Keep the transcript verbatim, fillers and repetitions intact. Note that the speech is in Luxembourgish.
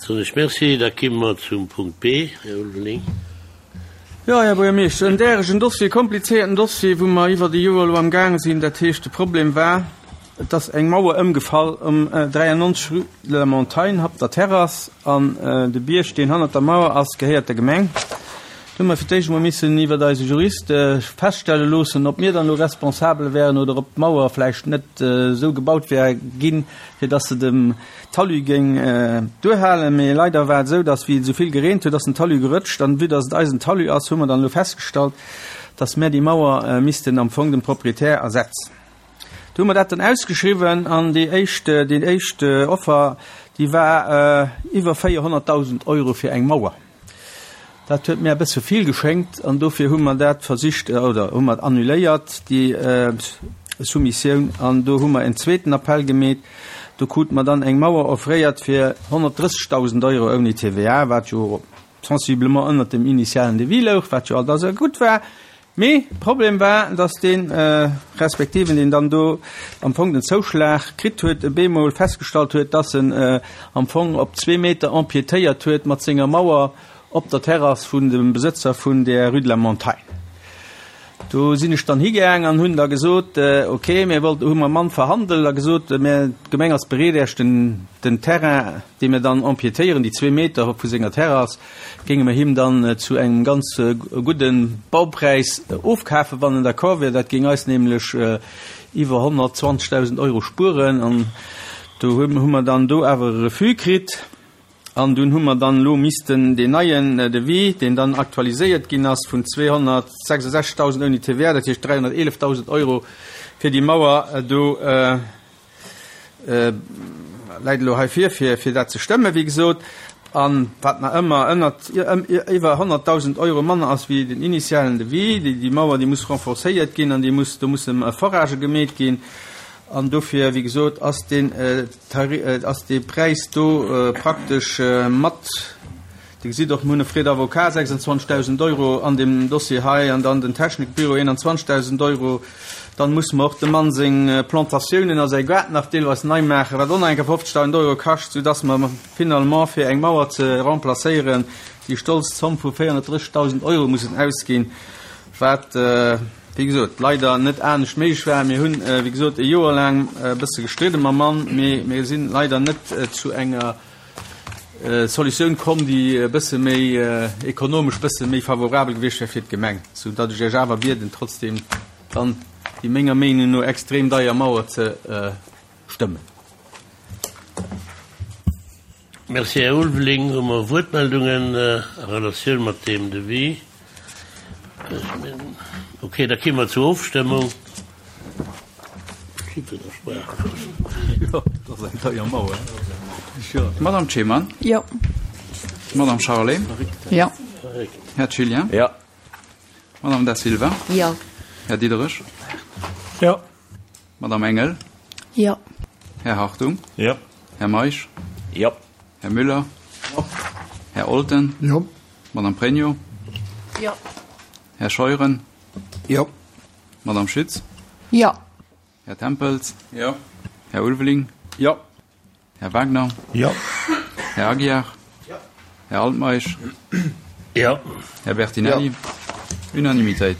Soen ech Merci. Da kimme mer zum Punkt B, Här Ulveling. Jo, Här Buergermeeschter, en däregen Dossier, e komplizéierten Dossier, wou mer iwwert e Joer elo amgaange sinn. Dat heescht, de Problem war, et ass eng Mauer ëmgefall um dräiannonzeg rue de la Montagne, hannert der Terrass, an de Bierg, deen hannert der Mauer ass, gehéiert der Gemeng. Do hu mer fir d'éischt emol missen iwwert eise Jurist feststelle loossen, ob mir dann elo responsabel wären oder ob d'Mauer vläicht net esou gebaut wär ginn, fir dass se dem Talus géing duerhalen. Mee leider war et esou, dass, wéi et esou vill gereent huet, ass den Talus gerëtscht. An vue dass et eisen Talus ass, hu mer dann elo festgestallt, dass mär déi Mauer missten am Fong dem Proprietär ersetzen. Do hu mer dat dann ausgeschriwwen an déi éischt, déi éischt Offer, déi war iwwer véierhonnertdausend Euro fir eng Mauer. Dat huet mir e bësse vill geschéngt an dofir hu mer dat versicht oder hu mer annuléiert, déi Soumissioun. An do hu mer en zweeten Appell gemeet. Do krute mer dann eng Mauer offréiert fir honnertdrëssegdausend Euro ouni T V A, wat jo sensiblement ënnert dem initialen Devis louch, wat jo alt also gutt war. Mee Problem war, datt dee Respektiven, deen dann do am Fong den Zouschlag kritt huet, e bemol festgestallt huet, datt en am Fong op zwee Meter empiétéiert huet mat senger Mauer op der Terrass vun dem Besëtzer vun der Rue de la Montagne. Do sinn ech dann higaang an hunn da gesot, okay, mir wollt, hu mam Mann verhandelt a gesot, mir, d'Gemeng ass bereet, Iech den, den Terrain, dee mir dann empiétéieren, déi zwee Meter vu senger Terrass, géinge mir him dann zu engem ganz gudde Baupräis ofkafen, wann en d'accord wier. Dat géing eis nämlech iwwer honnertzwanzegdausend Euro spueren. An do hu mer dann do awer e Refus kritt. An dunn hu mer dann elo missten deen neien Devis, deen dann aktualiséiert ginn ass vun zweehonnertsechsundsechzegdausend ouni T V A, dat heescht dräihonnerteelefdausend Euro fir déi Mauer do, läit elo hei vir, fir fir dat ze stëmmen, wéi gesot, an wat nach ëmmer ënnert iwwer honnertdausend Euro manner ass wéi den initialen Devis. Déi déi Mauer, déi muss renforcéiert ginn an déi muss, do musse Foragë gemeet ginn. An dofir, wéi gesot, ass deen ass dee Präis do praktesch mat, Dir gesitt och, mir hunn e Frais d'avocat, sechsundzwanzegdausend Euro an deem Dossier hei, an dann den Technikbüro, eenanzwanzegdausend Euro. Dann musse mer och dem Mann seng Plantatiounen a säi Gaart nach deelweis nei maachen, wat och nach eng Kéier fofzegdausend Euro kascht, soudass mer finalement fir eng Mauer ze remplacéieren déi stolz Zomm vu véierhonnertdrëssegdausend Euro mussen ausginn, wat, wéi gesot, leider net anescht méiglech war. Mir hunn, wéi gesot, e Joer laang e bësse gestridde mam Mann, mee mir sinn leider net zu enger Solutioun komm, déi e bësse méi ekonomesch, bësse méi favorabel gewiescht wär fir d'Gemeng, sou datt ech Iech awer bieden, trotzdem dann déi menger Meenung no extrem deier Mauer ze stëmmen. Merci, Här Ulveling. Hu mer Wuertmeldungen a Relatioun mat deem Devis? Ok, da komme mer zur Ofstëmmung. Jo, dat ass eng deier Mauer. Madame Ceman? Jo. Madame Charlé? Jo. Här Gillian? Jo. Madame Da Silva? Jo. Här Diderich? Jo. Madame Engel? Jo. Här Hartung? Jo. Här Meisch? Jo. Här Müller? Jo. Här Olten? Jo. Madame Pregno? Jo. Här Scheuren? Jo. Madame Schütz? Jo. Här Tempels? Jo. Här Ulveling? Jo. Här Wagner? Jo. Här Aguiar? Jo. Här Altmeisch? Jo. Här Bertinelli? Jo. Unanimitéit.